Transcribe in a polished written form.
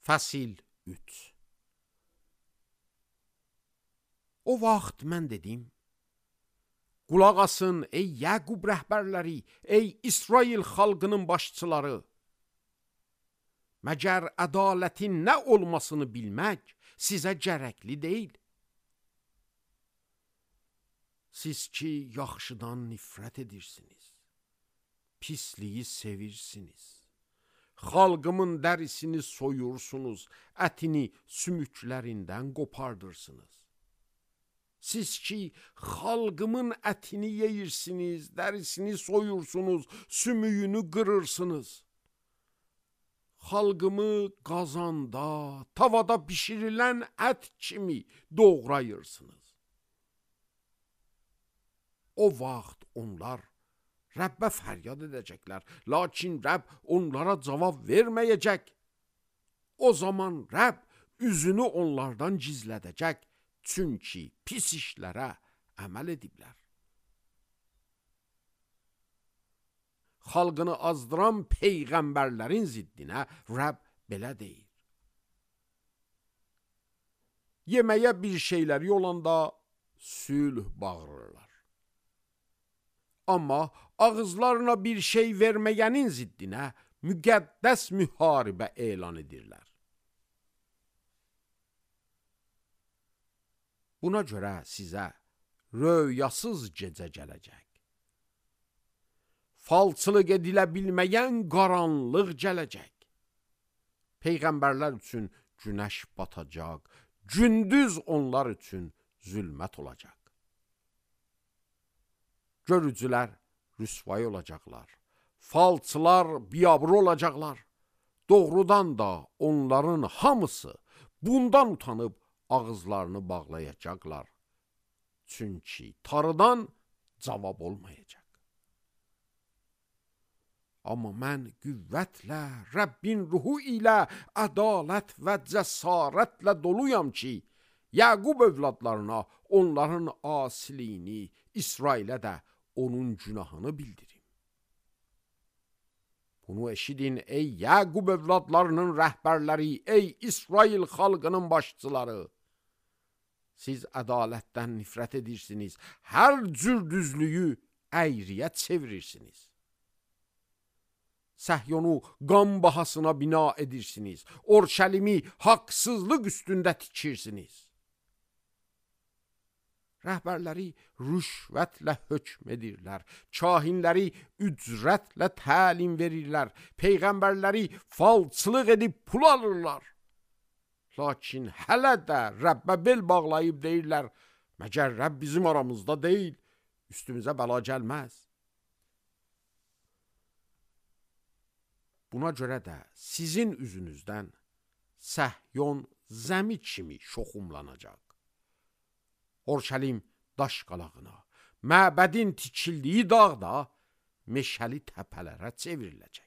Fəsil 3. O vaxt mən dedim, qulaq asın ey Yaqub rəhbərləri, ey İsrail xalqının başçıları. Məgər ədalətin nə olmasını bilmək sizə gərəkli deyil. Siz ki, yaxşıdan nifrət edirsiniz, pisliyi sevirsiniz. Xalqımın dərisini soyursunuz, ətini sümüklərindən qopardırsınız. Siz ki, xalqımın ətini yeyirsiniz, dərisini soyursunuz, sümüyünü qırırsınız. Xalqımı qazanda, tavada bişirilən ət kimi doğrayırsınız. O vaxt onlar Rəbbə fəryad edəcəklər, lakin Rəbb onlara cavab verməyəcək. O zaman Rəbb üzünü onlardan gizlədəcək, çünki pis işlərə əməl ediblər. Xalqını azdıran peyğəmbərlərin ziddinə Rəbb belə deyir. Yeməyə bir şeyləri olanda sülh bağırırlar. Amma ağızlarına bir şey verməyənin ziddinə müqəddəs müharibə elan edirlər. Buna görə sizə röyasız gecə gələcək. Falçılıq edilə bilməyən qaranlıq gələcək. Peyğəmbərlər üçün günəş batacaq, gündüz onlar üçün zülmət olacaq. Görücülər rüsvay olacaqlar, falçılar biabır olacaqlar. Doğrudan da onların hamısı bundan utanıb ağızlarını bağlayacaqlar. Çünki tarıdan cavab olmayacaq. Amma mən qüvvətlə, Rəbbin ruhu ilə, ədalət və cəsarətlə doluyam ki, Yaqub övladlarına onların asiliyini, İsrailə də onun günahını bildirim. Bunu eşidin ey Yaqub övladlarının rəhbərləri, ey İsrail xalqının başçıları. Siz ədalətdən nifrət edirsiniz, hər cür düzlüyü əyriyə çevirirsiniz. Səhyonu qan bahasına bina edirsiniz, Orşəlimi haqsızlıq üstündə tikirsiniz. Rəhbərləri rüşvətlə hökm edirlər, kahinləri ücrətlə təlim verirlər, peyğəmbərləri falçılıq edib pul alırlar. Lakin hələ də Rəbbə bel bağlayıb deyirlər, məgər Rəbb bizim aramızda deyil, üstümüzə bəla gəlməz. Buna görə də sizin üzünüzdən Səhyon zəmi kimi şoxumlanacaq. Orşəlim daş qalağına, məbədin tikildiyi dağda meşəli təpələrə çevriləcək.